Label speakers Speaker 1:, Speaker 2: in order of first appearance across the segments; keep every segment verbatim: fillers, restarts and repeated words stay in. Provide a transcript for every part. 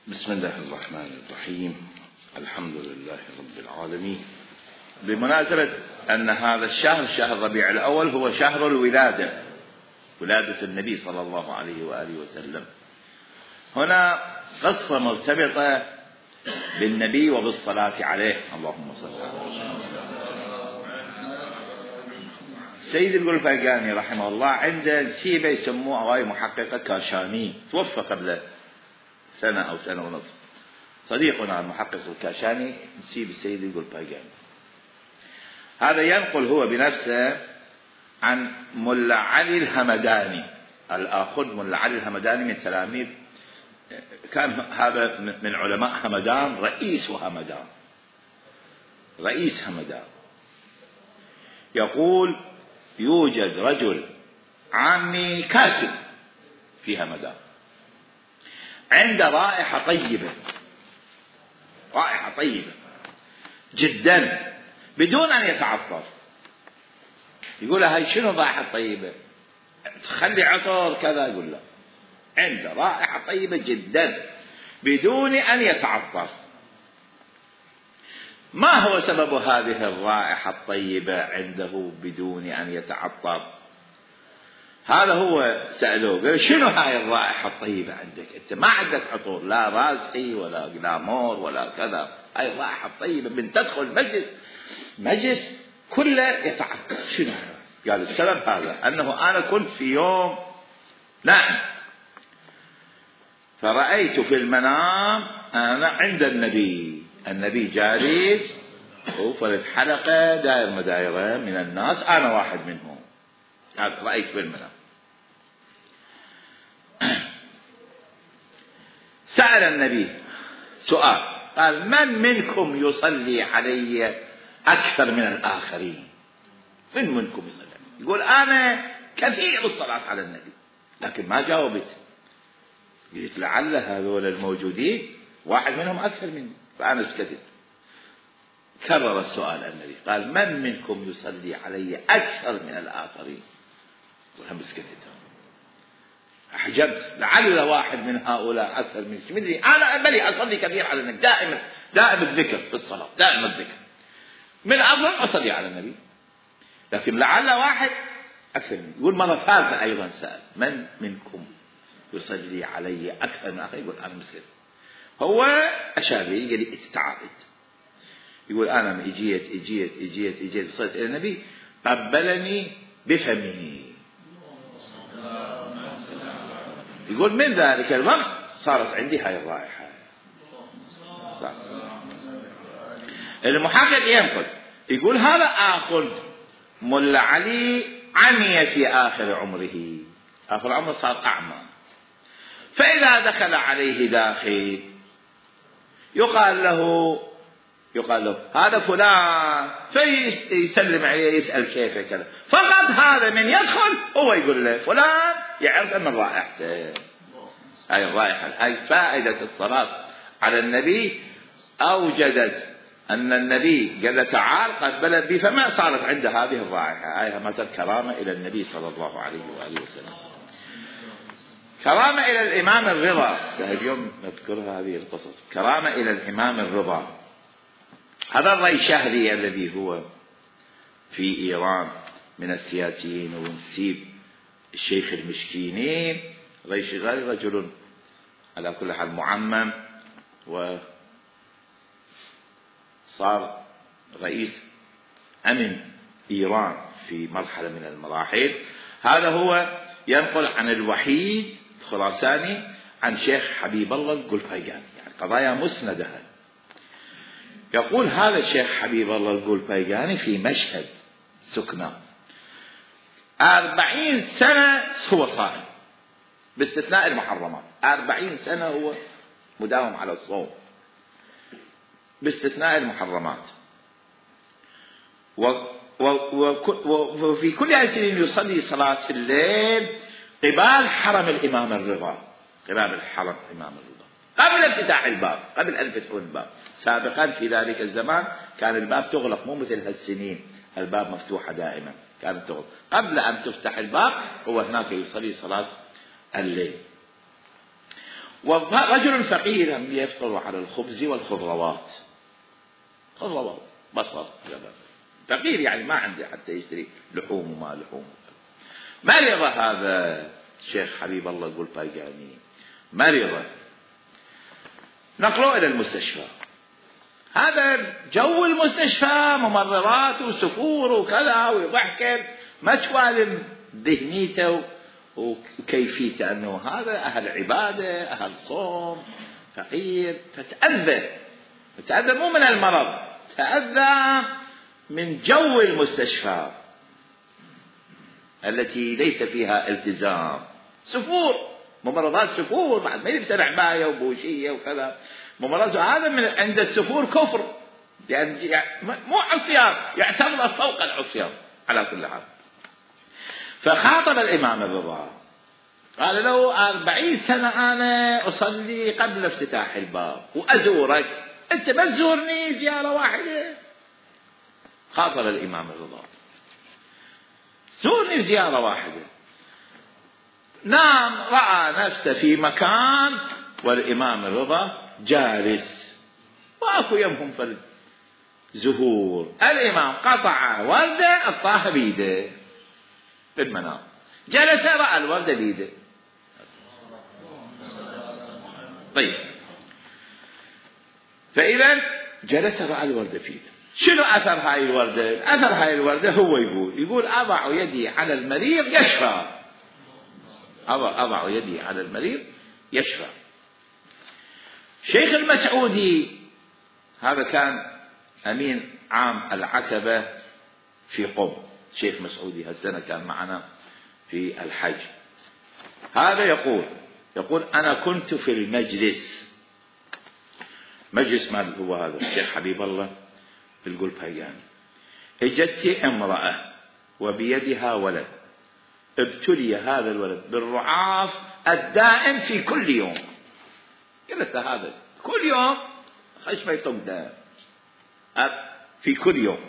Speaker 1: بسم الله الرحمن الرحيم. الحمد لله رب العالمين. بمناسبة أن هذا الشهر شهر ربيع الأول هو شهر الولادة، ولادة النبي صلى الله عليه وآله وسلم. هنا قصة مرتبطة بالنبي وبالصلاة عليه، اللهم صل على محمد. سيد القلفاقاني رحمه الله عنده نسيبة يسموه هواي محققة كاشاني، توفى قبل سنة أو سنة ونصف. صديقنا المحقق الكاشاني نسيب السيد القلفاقاني، هذا ينقل هو بنفسه عن ملا علي الهمداني الآخذ. ملا علي الهمداني من تلاميذ، كان هذا من علماء همدان، رئيس همدان، رئيس همدان. يقول يوجد رجل عامي كاتب في همدان عنده رائحة طيبة، رائحة طيبة جدا بدون أن يتعطر. يقول له هاي شنو رائحة طيبة؟ تخلي عطر كذا. يقول له عنده رائحة طيبة جدا بدون أن يتعطر. ما هو سبب هذه الرائحة الطيبة عنده بدون أن يتعطر؟ هذا هو سألوه، قال شنو هاي الرائحة الطيبة عندك؟ أنت ما عندك عطور، لا راسي ولا جلامور ولا كذا. هاي الرائحة الطيبة من تدخل مجلس مجلس كله يتعطر. شنو؟ قال السبب هذا، أنه أنا كنت في يوم نائم فرأيت في المنام أنا عند النبي، النبي جالس وفرد حلقة دائر مدايرة من الناس، أنا واحد منهم. هذا رأيت في المنام. سأل النبي سؤال، قال من منكم يصلي علي أكثر من الآخرين؟ من منكم يصلي؟ يقول أنا كثير الصلاة على النبي، لكن ما جاوبت. قلت لعل هذول الموجودين واحد منهم أكثر مني، فأنا سكتت. كرر السؤال النبي، قال من منكم يصلي علي أكثر من الآخرين؟ وهم سكتت. أحجبت، لعل واحد من هؤلاء أكثر مني. مدري أنا بلي أصلي كثير على النبي، دائما دائما الذكر في الصلاة، دائما الذكر من أفضل أصلي على النبي، لكن لعل واحد أكثر مني. يقول مرة ثالثة أيضا سأل من منكم يصلي علي أكثر من آخر؟ يقول أنا مسلم. هو أشار لي قال لي تعالت. يقول أنا إجيت إجيت إجيت إجيت صليت إلى النبي، قبلني بفمه. يقول من ذلك الوقت صارت عندي هاي الرائحة. المحقق ينقل يقول هذا آخذ ملا علي عمي في آخر عمره، آخر عمره صار أعمى. فإذا دخل عليه داخل يقال له يقال له هذا فلان، فيسلم عليه يسأل كيف كذا. فقط هذا من يدخل هو يقول له فلان، يعرف أن رائحته هاي الرائحة. هاي فائدة الصلاة على النبي، أوجدت أن النبي قال له تعال قبل بي، فما صارت عنده هذه الرائحة. هاي مثل كرامة إلى النبي صلى الله عليه وآله وسلم. كرامة إلى الإمام الرضا، اليوم نذكر هذه القصص. كرامة إلى الإمام الرضا، هذا الريشهري الذي هو في إيران من السياسيين ونسيب الشيخ المشكينين. ريشهري رجل على كل حال معمم، وصار رئيس أمن إيران في مرحلة من المراحل. هذا هو ينقل عن الوحيد الخراساني عن شيخ حبيب الله القلفاقاني، يعني قضايا مسندة. يقول هذا الشيخ حبيب الله القلفاقاني في مشهد سكنى أربعين سنة هو صائم باستثناء المحرمات. أربعين سنة هو مداوم على الصوم باستثناء المحرمات، وفي كل هذه السنين يصلي صلاة الليل قبال حرم الإمام الرضا، قبال الحرم الإمام الرضا قبل افتتاح الباب، قبل أن يفتحوا الباب. سابقا في ذلك الزمان كان الباب تغلق، مو مثل هالسنين الباب مفتوحة دائما، كانت تغلق. قبل أن تفتح الباب هو هناك يصلي صلاة الليل. ورجل فقير يفطر على الخبز والخضروات، خضروات بصل فقير يعني ما عنده حتى يشتري لحوم وما لحوم. مرض هذا الشيخ حبيب الله يقول بايقاني، مرض نقلوه إلى المستشفى. هذا جو المستشفى ممرضات وسفور وكذا ويضحك ما توالم ذهنيته وكيفيته أنه هذا أهل عبادة أهل صوم فقير، فتأذى فتأذى مو من المرض، تأذى من جو المستشفى التي ليس فيها التزام. سفور ممرضات سفور بعد ما يلبس عباية وبوشية وكذا، ممرضات هذا من عند السفور كفر، يعني مو عصيان، يعتبر فوق العصيان على كل حال. فخاطب الإمام الرضا قال له أربعين سنة أنا أصلي قبل افتتاح الباب وأزورك، أنت ما تزورني زيارة واحدة. خاطب الإمام الرضا زورني زيارة واحدة. نام رأى نفسه في مكان والإمام الرضا جالس واكو يمهم في الزهور. الإمام قطع وردة الطاها بيده في المنام، جلس رأى الوردة بيده. طيب فإذا جلس رأى الوردة في يده. شنو أثر هاي الوردة؟ أثر هاي الوردة هو يقول يقول أضع يدي على المريض يشفى، أضع, أضع يدي على المريض يشفى. شيخ المسعودي هذا كان أمين عام العتبة في قم، شيخ مسعودي هالسنة كان معنا في الحج. هذا يقول يقول أنا كنت في المجلس، مجلس مال هو هذا الشيخ حبيب الله يقول بايقاني، اجت امرأة وبيدها ولد، ابتلي هذا الولد بالرعاف الدائم في كل يوم. قلت هذا كل يوم خشمه يطق دائم في كل يوم.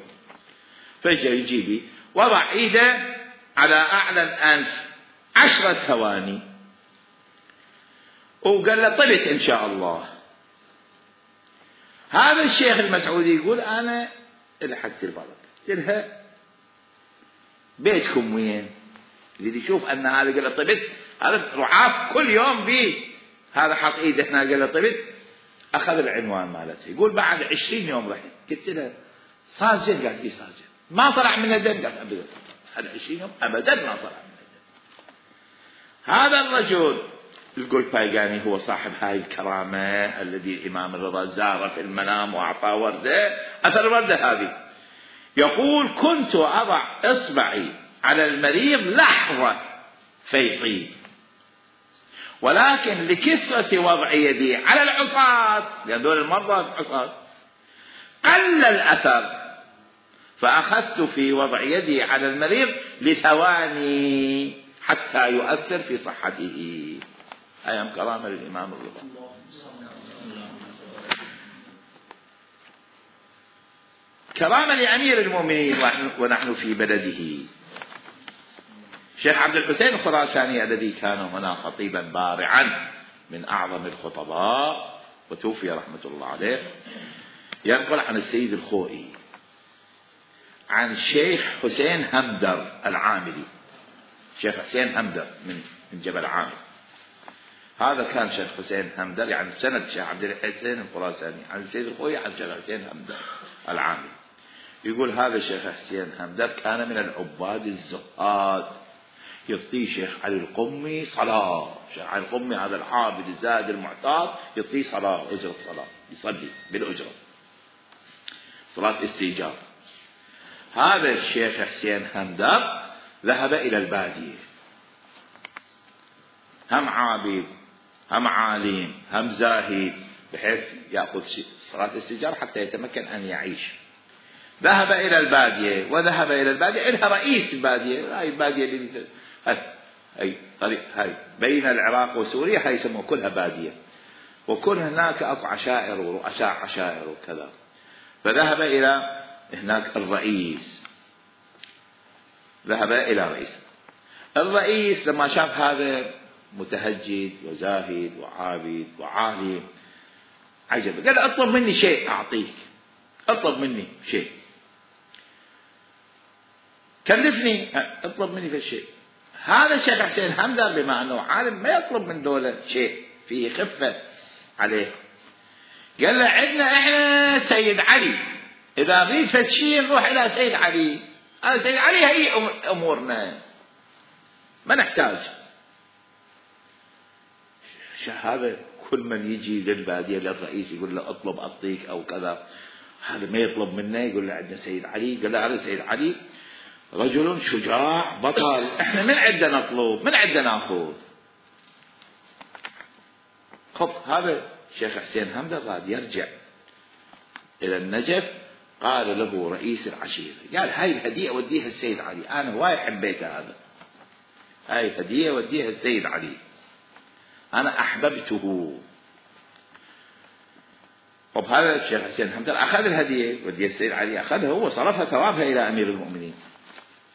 Speaker 1: فجأة يجيبي وضع ايده على اعلى الانف عشرة ثواني وقال له طلت ان شاء الله. هذا الشيخ المسعودي يقول انا لحقت البلد، قلت لها بيتكم وين؟ اللي يشوف ان هذا قال له طلت، هذا رعاف كل يوم بيه، هذا حط ايده هنا قال له طلت. اخذ العنوان مالته، يقول بعد عشرين يوم رحت قلت له صاجر؟ قالت لي صاجر. ما طلع من الدم؟ قالت ابدا هذا عشرين يوم ابدا ما طلع من الدم. هذا الرجل يقول بايقاني هو صاحب هاي الكرامة الذي الإمام الرضا زاره في المنام وأعطاه وردة. أثر الوردة هذه يقول كنت أضع إصبعي على المريض لحظة فيطيب، ولكن لكثرة وضع يدي على العصاة، لأن دول المرضى عصاة، قل الأثر، فأخذت في وضع يدي على المريض لثواني حتى يؤثر في صحته. أيام كرامة للإمام الرضا. كرامة لأمير المؤمنين ونحن في بلده. شيخ عبد الحسين الخراساني الذي كان هنا خطيبا بارعا من أعظم الخطباء وتوفي رحمة الله عليه، ينقل عن السيد الخوئي عن شيخ حسين همدر العاملي. شيخ حسين همدر من من جبل عامل، هذا كان شيخ حسين همدر يعني سند شيخ عبد الحسين الخراساني عن السيد الخوئي عن شيخ حسين همدر العاملي. يقول هذا الشيخ حسين همدر كان من العباد الزهاد، يعطيه شيخ علي القمي صلاة. شيخ علي القمي هذا العابد الزاهد المعتاد يعطيه صلاة، أجرة صلاة، يصلي بالأجرة، صلاة استيجاب. هذا الشيخ حسين همدر ذهب إلى البادية، هم عابد هم عالم هم زاهد، بحيث يأخذ صلاة استيجاب حتى يتمكن أن يعيش. ذهب إلى البادية، وذهب إلى البادية إلها رئيس البادية، هاي البادية اللي هاي طريق هاي بين العراق وسوريا، هاي يسموها كلها بادية، وكل هناك أكو عشائر ورؤساء عشائر وكذا. فذهب إلى هناك الرئيس، ذهب إلى رئيس. الرئيس لما شاف هذا متهجد وزاهد وعابد وعالم. عجب. قال اطلب مني شيء اعطيك، اطلب مني شيء، كلفني اطلب مني في شيء. هذا الشيخ حسين حمدان بما انه عالم ما يطلب من دولة شيء فيه خفة عليه. قال له عندنا احنا سيد علي، اذا نريد فد شيء نروح الى سيد علي، هذا سيد علي هي امورنا ما نحتاج. هذا كل من يجي للبادية للرئيس يقول له اطلب اعطيك او كذا، هذا ما يطلب منه يقول له عندنا سيد علي. قال له هذا سيد علي رجل شجاع بطل، احنا من عندنا نطلب من عندنا ناخذ. خب هذا الشيخ حسين حمدان راد يرجع الى النجف، قال له رئيس العشيرة، قال هاي الهدية وديها السيد علي، انا هواي حبيتها، هذا هاي الهدية وديها السيد علي، انا احببته. طب هذا الشيخ حسين حمدان اخذ الهدية وديها السيد علي، اخذها هو صرفها ثوابها الى امير المؤمنين.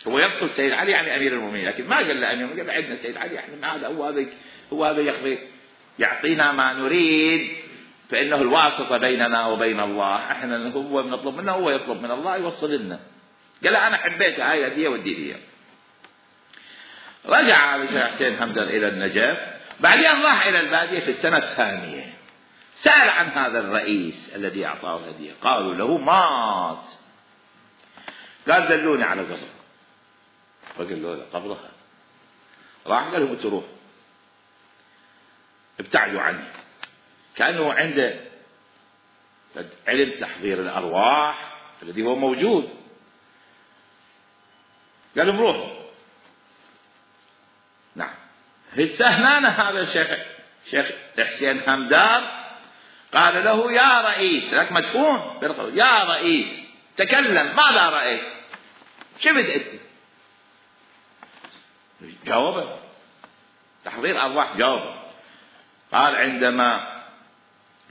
Speaker 1: هو يقصد سيد علي يعني امير المؤمنين، لكن ما قال له امير المؤمنين، قال عندنا سيد علي، احنا هذا هو هذا هو هذا يقضي يعطينا ما نريد، فانه الواسطة بيننا وبين الله، احنا هو بنطلب منه هو يطلب من الله يوصل لنا. قال له انا حبيتها هاي الهدية ودي لي. رجع الشيخ حسين حمدان الى النجف، بعدين راح الى البادية في السنة الثانية، سأل عن هذا الرئيس الذي اعطاه الهدية، قالوا له مات. قال دلوني على قبر، فقال له قبرها. راح قال لهم تروح ابتعدوا عنه، كأنه عنده علم تحضير الأرواح الذي هو موجود. قال لهم روحوا. نعم. هنا هذا الشيخ شيخ حسين حمدان قال له يا رئيس، لك مدفون، يا رئيس تكلم، ماذا رأيت؟ شفت انت؟ جاوبه تحضير أرواح، جاوبه. قال عندما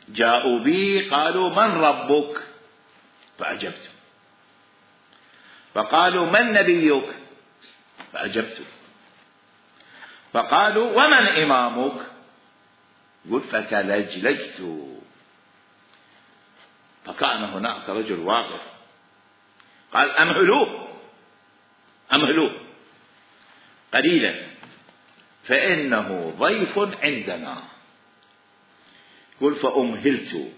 Speaker 1: جاءوا بي قالوا من ربك؟ فأجبت. فقالوا من نبيك؟ فأجبت. فقالوا ومن إمامك؟ قل فتلجلجت. فكان هناك رجل واقف قال أمهلوه أمهلوه قليلا فإنه ضيف عندنا. قل فأمهلت.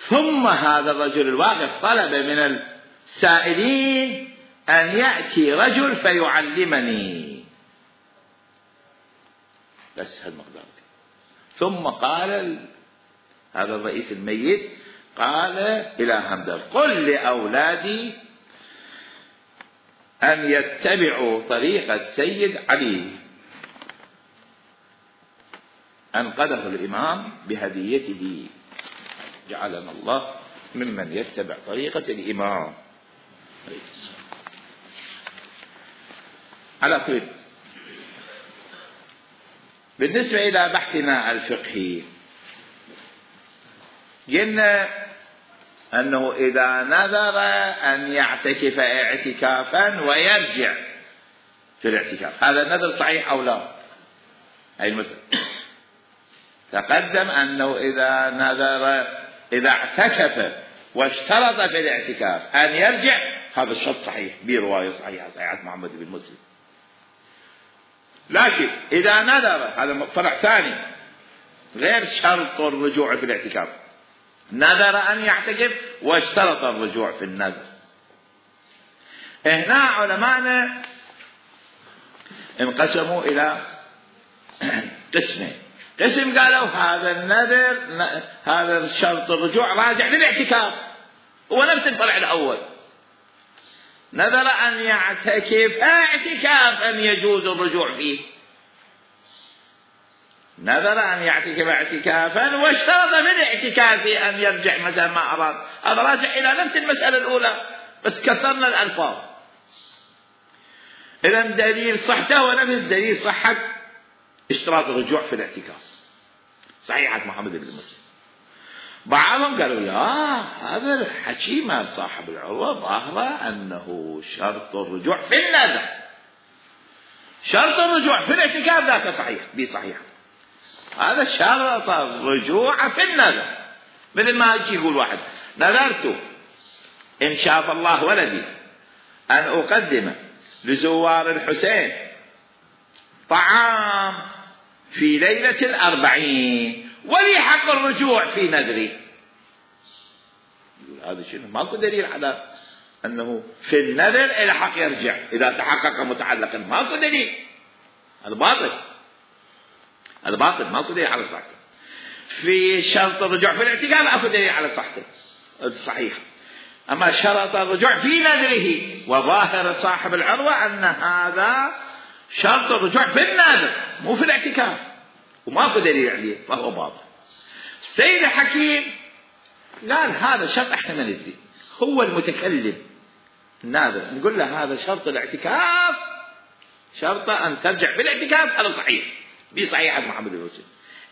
Speaker 1: ثم هذا الرجل الواقف طلب من السائلين أن يأتي رجل فيعلمني، بس هالمقدار. ثم قال هذا الرئيس الميت، قال إلى حمدان قل لأولادي أن يتبعوا طريقة سيد علي، أنقذه الإمام بهديته، جعلنا الله ممن يتبع طريقة الإمام عليه السلام. على كل، بالنسبة إلى بحثنا الفقهي قلنا أنه إذا نذر أن يعتكف اعتكافا ويرجع في الاعتكاف، هذا النذر صحيح أو لا؟ أي المثل تقدم أنه إذا نذر إذا اعتكف واشترط في الاعتكاف أن يرجع، هذا الشرط صحيح برواية صحيحة صحيحة محمد بن مسلم. لكن إذا نذر، هذا فرع ثاني غير شرط الرجوع في الاعتكاف، نذر أن يعتكف واشترط الرجوع في النذر. هنا علماءنا انقسموا إلى قسمين. قسم قالوا هذا النذر هذا شرط الرجوع راجع للاعتكاف، هو نفس الفرع الأول، نذر أن يعتكف اعتكافا يجوز الرجوع فيه، نذر أن يعتكف اعتكافا واشترط في الاعتكاف أن يرجع متى ما أراد، هذا راجع إلى نفس المسألة الأولى بس كسرنا الألفاظ. إذا دليل صحته ونفس دليل صحة اشتراط الرجوع في الاعتكاف، صحيحة محمد بن مسلم. بعضهم قالوا لا، هذا الحكي مع صاحب العروة ظاهرة أنه شرط الرجوع في النذر، شرط الرجوع في الاعتكاف ذاك صحيح بي صحيح. هذا شرط الرجوع في النذر. مثل ما يجي يقول واحد نذرت إن شاف الله ولدي أن أقدم لزوار الحسين طعام في ليلة الأربعين ولي حق الرجوع في نذري. هذا شنو؟ ماكو دليل على أنه في النذر إلى حق يرجع إذا تحقق متعلقا. ماكو دليل. هذا باطل. هذا باطل. ماكو دليل على صحته. في شرط الرجوع في الاعتكاف أكو دليل على صحته صحيح. أما شرط الرجوع في نذره وظاهر صاحب العروة أن هذا شرط الرجوع في النذر مو في الاعتكاف وماكو دليل عليه فهو باطل. السيد الحكيم قال هذا شرط احنا ما ندري. هو المتكلم الناظر نقول له هذا شرط الاعتكاف شرط أن ترجع في الاعتكاف هذا صحيح دي صحيحة محمد الوسيم.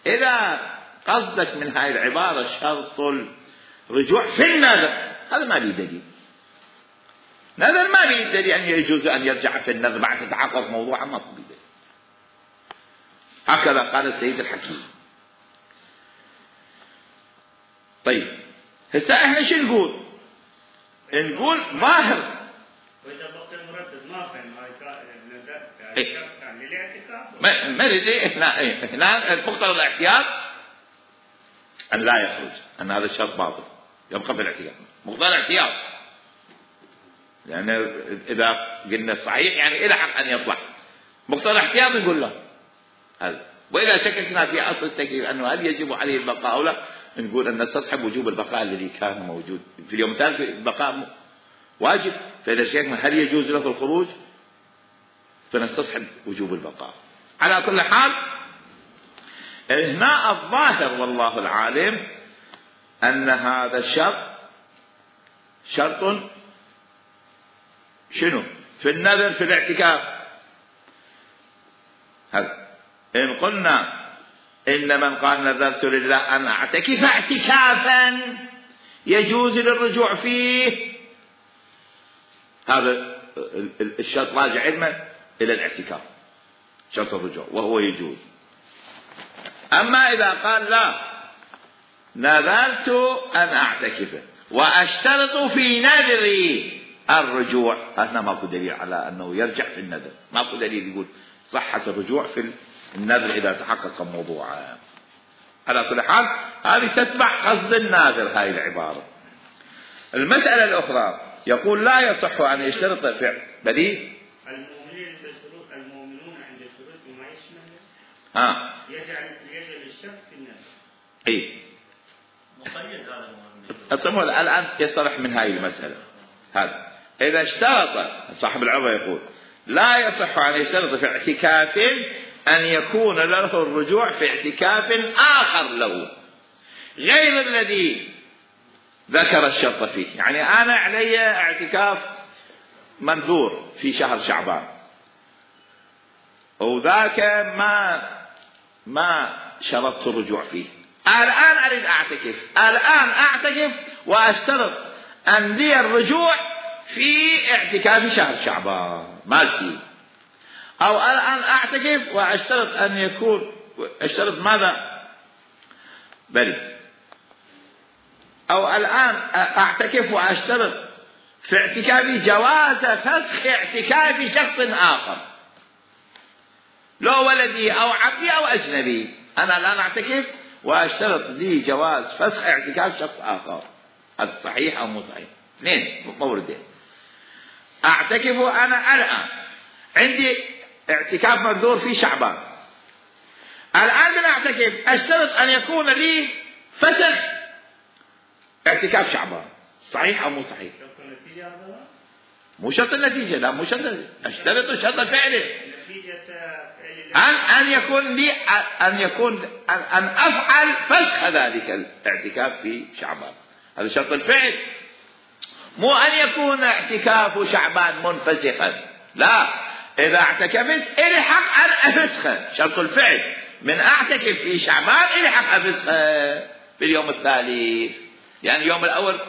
Speaker 1: إذا قصدك من هاي العبارة شرط الرجوع في النذر هذا ما لي دليل. نذر ما لي دليل أن يجوز أن يرجع في النذر بعد تتحقق موضوعا ما في دليل. هكذا قال السيد الحكيم. طيب هسه احنا شو نقول؟ نقول ظاهر
Speaker 2: واذا بقي المردد ما فهم هاي كان للاعتكاف
Speaker 1: ما ما ندري هنا هنا مقتضى الاحتياط ان لا يخرج ان هذا الشرط باطل يبقى في الاحتياط. مقتضى الاحتياط لان اذا قلنا صحيح يعني الى حق ان يطلع. مقتضى الاحتياط نقول له هذا. واذا شككنا في اصل التكليف انه هل يجب عليه البقاء او لا نقول ان نستصحب وجوب البقاء الذي كان موجود في اليوم الثالث. البقاء واجب. فاذا شككنا هل يجوز له الخروج فنستصحب وجوب البقاء. على كل حال هنا الظاهر والله العالم ان هذا الشرط شرط شنو في النذر في الاعتكاف. هذا إن قلنا إن من قال نذرت لله أن أعتكف اعتكافا يجوز للرجوع فيه هذا الشرط راجع علما إلى الاعتكاف شرط الرجوع وهو يجوز. أما إذا قال لا نذرت أن أعتكف وأشترط في نذري الرجوع هنا ماكو دليل على أنه يرجع في النذر. ماكو دليل يقول صحة الرجوع في النذر إذا تحقق موضوعا. على كل حال هذه تتبع قصد الناذر هاي العبارة. المسألة الأخرى يقول لا يصح أن يشترط فعل بديل
Speaker 2: المؤمنين بشروط المؤمنون عند شروط ما يشمل
Speaker 1: ها
Speaker 2: يجعل يجعل الشك في النذر.
Speaker 1: أي
Speaker 2: مقيد هذا
Speaker 1: المؤمن. الآن يصرح من هاي المسألة. هذا إذا اشترط صاحب العروة يقول لا يصح أن يشترط في اعتكاف أن يكون له الرجوع في اعتكاف آخر له غير الذي ذكر الشرط فيه. يعني أنا علي اعتكاف منذور في شهر شعبان وذاك ما ما شرطت الرجوع فيه. الآن أريد أعتكف الآن أعتكف وأشترط أن لي الرجوع في اعتكاف شهر شعبان مالتي. أو الآن أعتكف وأشترط أن يكون أشترط ماذا بل أو الآن أعتكف وأشترط في اعتكافي جواز فسخ اعتكاف شخص آخر لو ولدي أو عبدي أو أجنبي. أنا الآن أعتكف وأشترط لي جواز فسخ اعتكاف شخص آخر. هذا صحيح أو مو صحيح؟ اثنين موردين. أعتكف أنا الآن عندي اعتكاف منذور في شعبان الآن من أعتكف أشترط أن يكون لي فسخ اعتكاف شعبان. صحيح أو مو صحيح؟ مو شرط النتيجة. لا مو شرط أشترط شرط فعله أن أن يكون لي أن يكون أن, أن أفعل فسخ ذلك الاعتكاف في شعبان. هذا شرط الفعل مو أن يكون اعتكاف شعبان منفسخا. لا إذا اعتكفت إلي حق أن أفسخه شرط الفعل. من أعتكف في شعبان إلي حق أفسخه في اليوم الثالث يعني اليوم الأول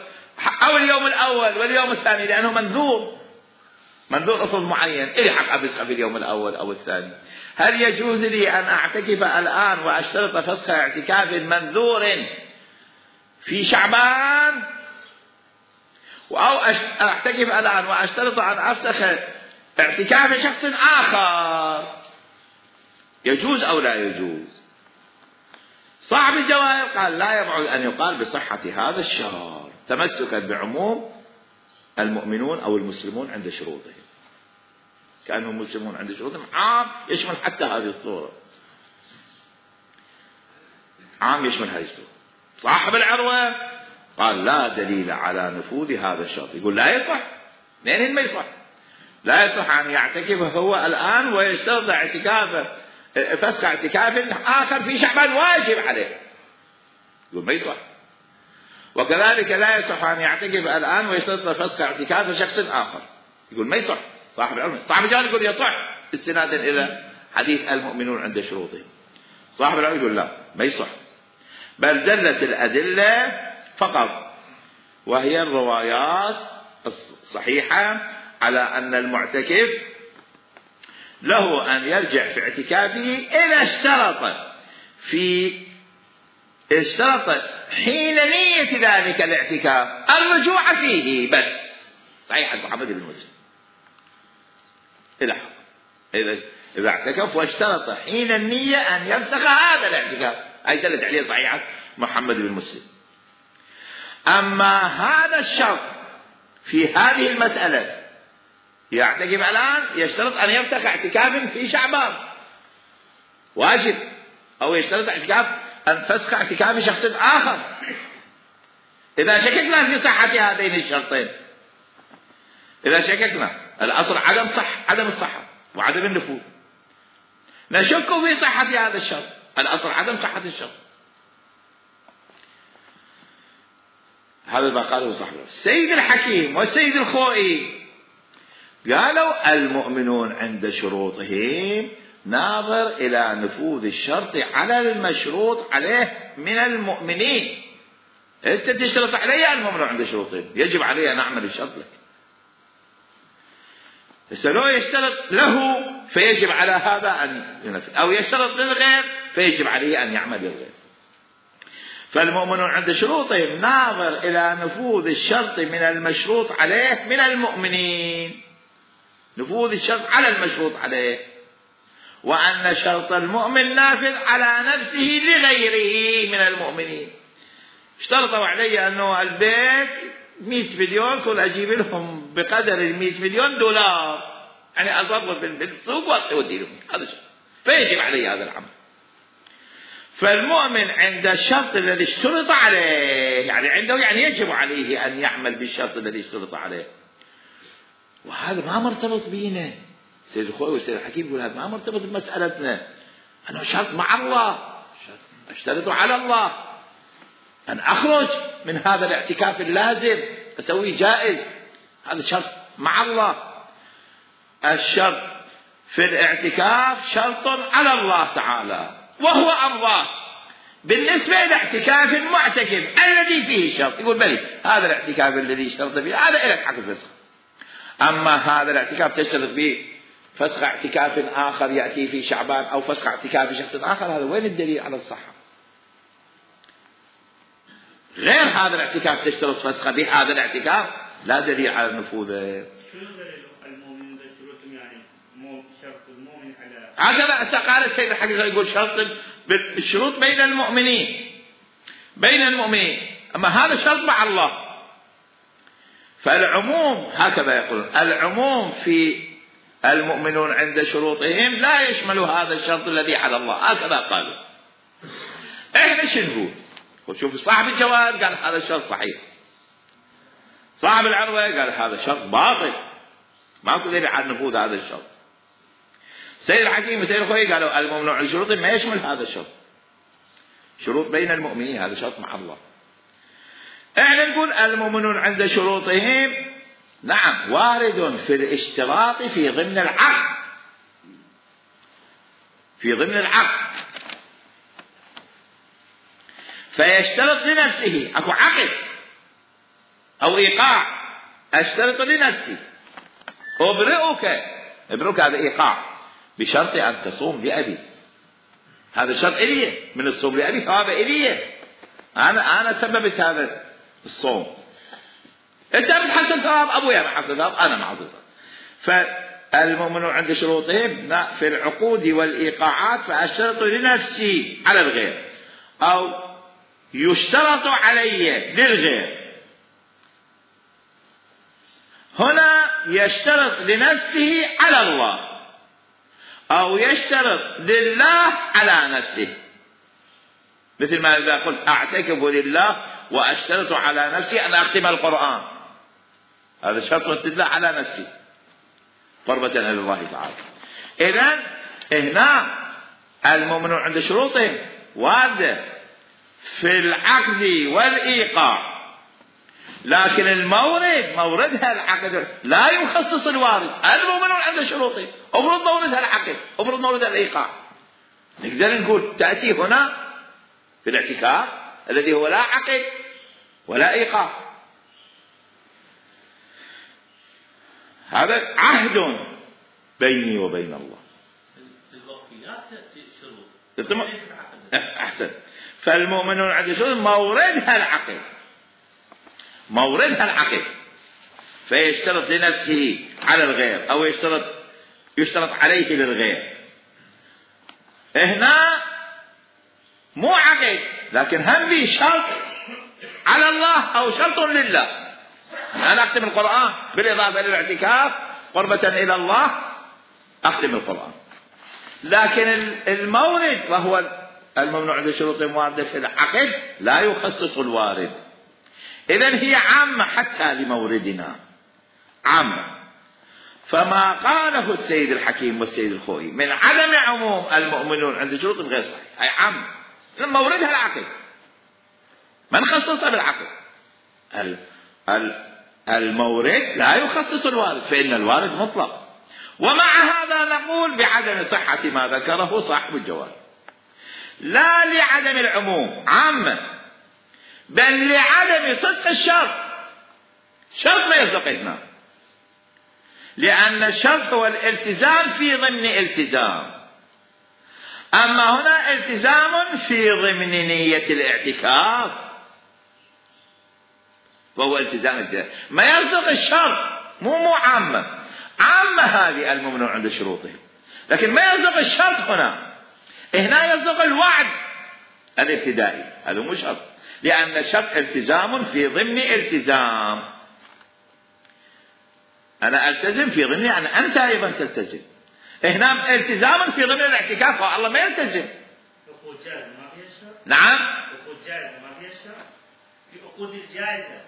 Speaker 1: أو اليوم الأول واليوم الثاني لأنه منذور. منذور أصل معين إلي حق أفسخ في اليوم الأول أو الثاني، هل يجوز لي أن أعتكف الآن وأشترط فسخ اعتكاف منذور في شعبان، أو أعتكف الآن وأشترط أن أفسخ اعتكاف شخص آخر؟ يجوز أو لا يجوز؟ صاحب الجواهر قال لا يبعد أن يقال بصحة هذا الشرط تمسكا بعموم المؤمنون أو المسلمون عند شروطهم، كانوا مسلمون عند شروطهم عام يشمل حتى هذه الصورة، عام يشمل هذه الصورة. صاحب العروة قال لا دليل على نفوذ هذا الشرط، يقول لا يصح، لأن ما يصح، لا يصح أن يعتكف هو الآن ويشترط اعتكافه فسخ اعتكاف آخر في شعبان واجب عليه، يقول ما يصح. وكذلك لا يصح أن يعتكف الآن ويشترط فسخ اعتكاف شخص آخر، يقول ما يصح. صاحب العلم صاحب الجواب يقول يصح استنادا إلى حديث المؤمنون عند شروطهم. صاحب العلم يقول لا ما يصح، بل دلت الأدلة فقط وهي الروايات الصحيحة على أن المعتكف له أن يرجع في اعتكافه إذا اشترط في اشترط حين نية ذلك الاعتكاف الرجوع فيه بس. صحيح محمد بن مسلم إذا إذا إذا اعتكف واشترط حين النية أن يفسخ هذا الاعتكاف، أي دلت عليه صحيحة محمد بن مسلم. أما هذا الشرط في هذه المسألة يعتكف الآن يشترط أن يفسخ اعتكاف في شعبان واجب، أو يشترط اعتكاف أن فسخ اعتكاف شخص آخر، إذا شككنا في صحة هذين الشرطين، إذا شككنا الأصل عدم صح عدم الصحة وعدم النفوذ، نشك في صحة هذا الشرط، الأصل عدم صحة الشرط. هذا ما قاله صاحب السيد الحكيم والسيد الخوئي، قالوا المؤمنون عند شروطهم ناظر إلى نفوذ الشرط على المشروط عليه من المؤمنين. أنت تشترط علي المؤمنون عند شروطهم، يجب علي أن أعمل الشرط لك. لو يشترط له فيجب على هذا أن ينفذ، أو يشترط للغير فيجب عليه أن يعمل للغير. فالمؤمنون عند شروطهم ناظر إلى نفوذ الشرط من المشروط عليه من المؤمنين، نفوذ الشرط على المشروط عليه، وأن شرط المؤمن نافذ على نفسه لغيره من المؤمنين. اشترطوا علي أنه البيت مئة مليون كل أجيب لهم بقدر المئة مليون دولار، يعني أضرب بالسوق وأودي لهم، هذا الشيء فيجب علي هذا العمل. فالمؤمن عند الشرط الذي اشترط عليه، يعني عنده يعني يجب عليه أن يعمل بالشرط الذي اشترط عليه، وهذا ما مرتبط بينا. سيد الخوي والسيد الحكيم يقول هذا ما مرتبط بمسألتنا، أنا شرط مع الله، اشترط على الله أن أخرج من هذا الاعتكاف اللازم أسويه جائز، هذا شرط مع الله. الشرط في الاعتكاف شرط على الله تعالى وهو الله بالنسبة إلى اعتكاف المعتكف الذي فيه الشرط، يقول بلي هذا الاعتكاف الذي اشترط فيه هذا إلك حق الفسخ. أما هذا الاعتكاف تشترط به فسخ اعتكاف آخر يأتي في شعبان أو فسخ اعتكاف شخص آخر، هذا وين الدليل على الصحة؟ غير هذا الاعتكاف تشترط فسخ به، هذا الاعتكاف لا دليل على نفوذه.
Speaker 2: المؤمن بشروط يعني مو شرط المؤمن على
Speaker 1: هكذا قال السيد الحقيقة، يقول شرط بالشروط بين المؤمنين بين المؤمنين، أما هذا شرط مع الله. فالعموم هكذا يقول، العموم في المؤمنون عند شروطهم لا يشمل هذا الشرط الذي على الله، هكذا قالوا. احنا شو نقول؟ وشوف صاحب الجواب قال هذا الشرط صحيح، صاحب العروة قال هذا شرط باطل، ماكو دليل على نفوذ هذا الشرط. سيد الحكيم وسيد الخوي قالوا المؤمنون عند شروطهم ما يشمل هذا الشرط، شروط بين المؤمنين هذا شرط مع الله. احنا نقول المؤمنون عند شروطهم نعم وارد في الاشتراط في ضمن العقد، في ضمن العقد فيشترط لنفسه، اكو عقد او ايقاع اشترط لنفسي أبرئك، أبرئك هذا إيقاع بشرط أن تصوم لأبي، هذا شرط إلي من الصوم لأبي، ثواب إلي، أنا أنا سببت هذا الصوم، أنت بتحصل ثواب أبويا ما حصل ثواب أنا ما حصل. فالمؤمن عند شروطهم في العقود والإيقاعات فأشترط لنفسي على الغير، أو يشترط علي للغير. هنا يشترط لنفسه على الله، أو يشترط لله على نفسه، مثل ما إذا قلت أعتكف لله وأشترط على نفسي أن أختم القرآن، هذا شرط لله على نفسي قربة إلى الله تعالى. إذن هنا المؤمن عند شروطهم واردة في العقد والإيقاع، لكن المورد موردها العقد لا يخصص الوارد. المؤمن عند شروطه أفرض موردها العقد، أفرض موردها الإيقاع. نقدر نقول تأتي هنا في الاعتكاف الذي هو لا عقد ولا إيقاع، هذا عهد بيني وبين الله.
Speaker 3: الوقفيات تأتي الشروط
Speaker 1: أحسن. فالمؤمن عند شروط موردها العقد، موردها العقد، فيشترط لنفسه على الغير أو يشترط يشترط عليه للغير. هنا مو عقد لكن هم به شرط على الله أو شرط لله. أنا أختم القرآن بالإضافة للاعتكاف قربة إلى الله، أختم القرآن، لكن المورد وهو الممنوع عند شروط واردة في العقد لا يخصص الوارد. إذن هي عامة حتى لموردنا، عامة. فما قاله السيد الحكيم والسيد الخوئي من عدم عموم المؤمنون عند شروط غير صحيح، هي عامة، موردها العقد، من خصصها بالعقد. المورد لا يخصص الوارد، فإن الوارد مطلق. ومع هذا نقول بعدم صحة ما ذكره صاحب الجواب، لا لعدم العموم عامة، بل لعدم صدق الشرط. شرط ما يصدق هنا، لأن الشرط هو الالتزام في ضمن التزام، أما هنا التزام في ضمن نية الاعتكاف، وهو التزام التزام ما يصدق الشرط. مو مو عامة، عامة هذه الممنوع عند شروطهم، لكن ما يصدق الشرط هنا. هنا يصدق الوعد الابتدائي، هذا مو شرط، لأن الشرط التزام في ضمن التزام. أنا ألتزم في ضمن أن أنت أيضا تلتزم. هنا التزام في ضمن الاعتكاف، والله ما يلتزم.
Speaker 2: عقود جائزة ما فيها شرط.
Speaker 1: نعم.
Speaker 2: عقود جائزة ما فيها شرط. في عقود الجائزة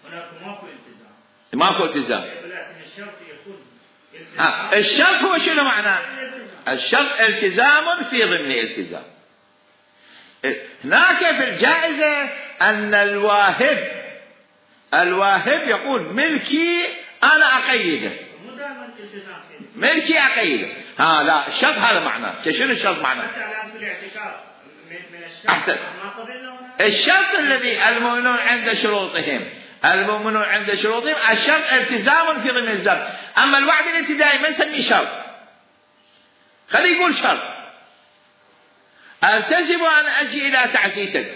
Speaker 2: هناك ماكو التزام.
Speaker 1: ماكو التزام.
Speaker 2: ولكن الشرط يكون التزام.
Speaker 1: آه. الشرط هو شنو معناه؟ الشرط التزام في ضمن التزام. هناك في الجائزة أن الواهب الواهب يقول ملكي أنا أقيده،
Speaker 2: مو دائما التزام فيه.
Speaker 1: ملكي أقيده. ها لا، الشرط هذا معناه. شنو الشرط معناه؟
Speaker 2: حتى الآن في الاعتكاف من الشرط.
Speaker 1: أحسن.
Speaker 2: ما قبلنا
Speaker 1: الشرط الذي المؤمنون عند شروطهم المؤمنون عند شروطهم الشرط التزام في ضمن الزم. أما الوعد الابتدائي ما نسميه شرط، خليه يقول شرط. ألتزم أن أجي إلى تعزيتك،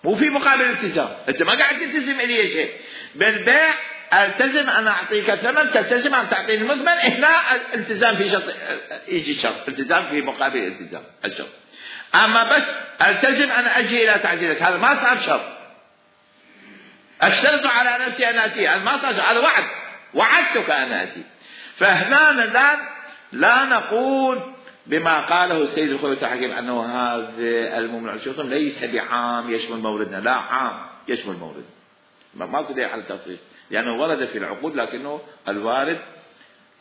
Speaker 1: مو في مقابل التزام، أنت ما قاعد تلتزم إلي شيء. بالبيع ألتزم أن أعطيك ثمن، تلتزم أن تعطيني المثمن. هنا التزام في شرط، يجي شرط، التزام في مقابل الالتزام الشرط. أما بس ألتزم أن أجي إلى تعزيتك، هذا ما صار شرط. أشترط على نفسي أن أتي، هذا ما صار شرط، هذا وعد، وعدتك أن أتي. فهنا لا لا نقول بما قاله السيد الخوئي الحكيم أنه هذا المؤمن على شروطهم ليس بعام يشمل موردنا، لا، عام يشمل موردنا، ما دليل على التخصيص، لأنه ورد في العقود لكنه الوارد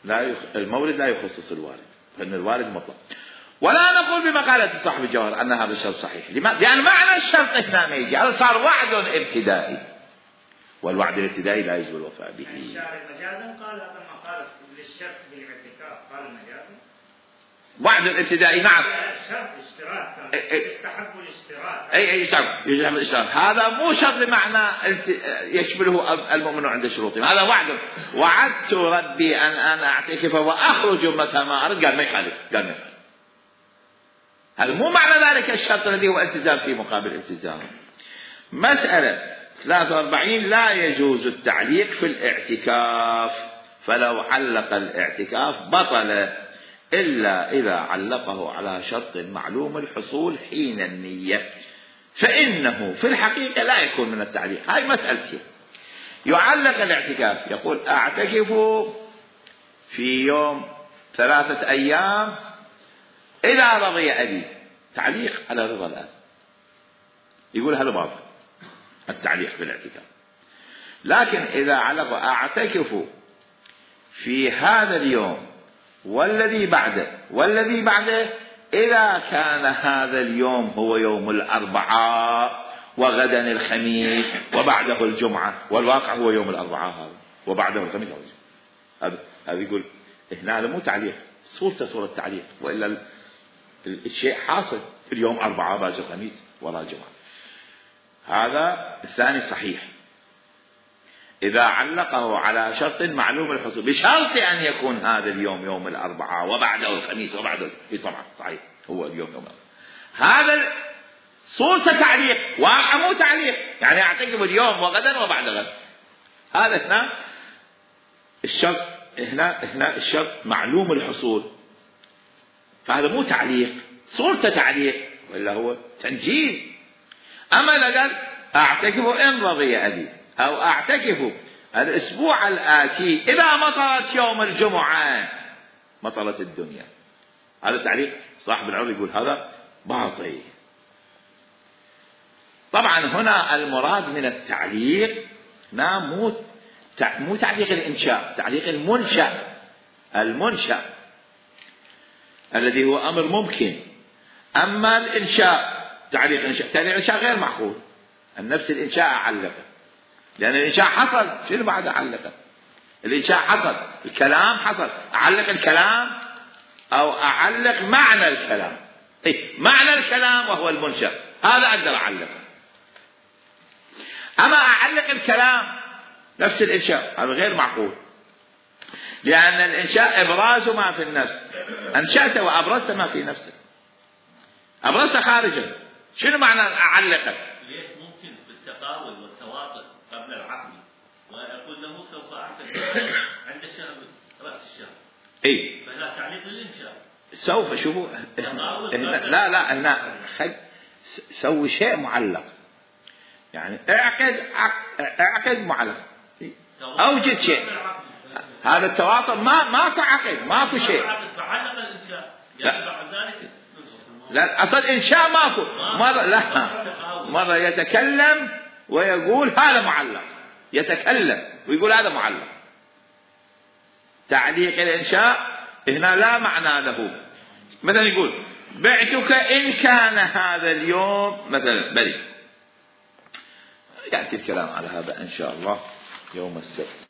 Speaker 1: لا يخ... المورد لا يخصص الوارد، فإن الوارد مطلق. ولا نقول بمقالة صاحب الجوهر أن هذا الشرط صحيح، لماذا؟ لأن معنى الشرط هنا ما يجي، هذا صار وعد ابتدائي، والوعد الابتدائي لا يجب الوفاء به.
Speaker 2: الشارع مجازا قال هذا ما قال للشرط بالاعتكاف، قال مجازا.
Speaker 1: وعد الابتدائي نعم
Speaker 2: شرط اشتراك كان يستحب الاشتراك.
Speaker 1: اي اي شرط يجب الاشتراك، هذا مو شرط بمعنى يشمله المؤمن عند شروطه، هذا وعد. وعدت ربي ان انا اعتكف واخرج متى ما ارد، قال ما يخالف، قال ما يخالف. هذا مو معنى ذلك الشرط الذي هو التزام في مقابل التزام. مسألة ثلاثة وأربعين لا يجوز التعليق في الاعتكاف، فلو علق الاعتكاف بطل إلا إذا علقه على شرط معلوم الحصول حين النية، فإنه في الحقيقة لا يكون من التعليق. هاي مسألتي. يعلق الاعتكاف يقول أعتكف في يوم ثلاثة أيام إذا رضي أبي، تعليق على رضا الأب، يقول هذا باطل التعليق في الاعتكاف. لكن إذا علق أعتكف في هذا اليوم والذي بعده والذي بعده، إذا كان هذا اليوم هو يوم الأربعاء وغدا الخميس وبعده الجمعة، والواقع هو يوم الأربعاء هذا وبعده الخميس، هذا هذا يقول هنا هذا مو تعليق، صورته صورة تعليق، وإلا الشيء حاصل في اليوم أربعاء باقي الخميس ولا الجمعة. هذا الثاني صحيح إذا علقه على شرط معلوم الحصول، بشرط أن يكون هذا اليوم يوم الأربعاء وبعده الخميس وبعده، طبعا صحيح هو اليوم يوم الأربعاء. هذا صورة تعليق، واقع مو تعليق، يعني أعتقد اليوم وغدا وبعد غد. هذا هنا الشرط، هنا هنا الشرط معلوم الحصول، فهذا مو تعليق، صورة تعليق، ولا هو تنجيز. أما لقد أعتكف إن رضي أبي، أو أعتكف الأسبوع الآتي إذا مطرت يوم الجمعة مطرت الدنيا، هذا تعليق. صاحب العرض يقول هذا باطل. طبعا هنا المراد من التعليق لا مو مو تعليق الإنشاء، تعليق المنشأ، المنشأ الذي هو أمر ممكن. أما الإنشاء تعليق الإنشاء، تعليق الإنشاء غير معقول. النفس الإنشاء علقه، لأن الإنشاء حصل، شنو بعد علقه؟ الإنشاء حصل، الكلام حصل، أعلق الكلام أو أعلق معنى الكلام. إيه معنى الكلام وهو المنشأ، هذا أقدر أعلقه. أما أعلق الكلام نفس الإنشاء هذا غير معقول، لأن الإنشاء إبراز ما في النفس، أنشأت وأبرزت ما في نفسك، أبرزت خارجا. شنو معنى أعلقه؟
Speaker 3: ليش ممكن بالتقاول والتواطؤ قبل العقد ويقول له سوف أعتقد عند الشهر رأس الشهر،
Speaker 1: إيه
Speaker 3: فلا تعليق للإنشاء،
Speaker 1: سوف شوفوا لا لا هنا سوي شيء معلق، يعني اعقد اعقد معلق، اوجد شيء. هذا التواطؤ ما ما في عقد، ما في شيء.
Speaker 3: فعلق الإنشاء بعد ذلك
Speaker 1: لا أصل إنشاء ماكو. مرة لا مرة يتكلم ويقول هذا معلق، يتكلم ويقول هذا معلق. تعليق الإنشاء هنا لا معنى له. مثلا يقول بعتك إن كان هذا اليوم مثلا بري، يأتي الكلام على هذا إن شاء الله يوم السبت.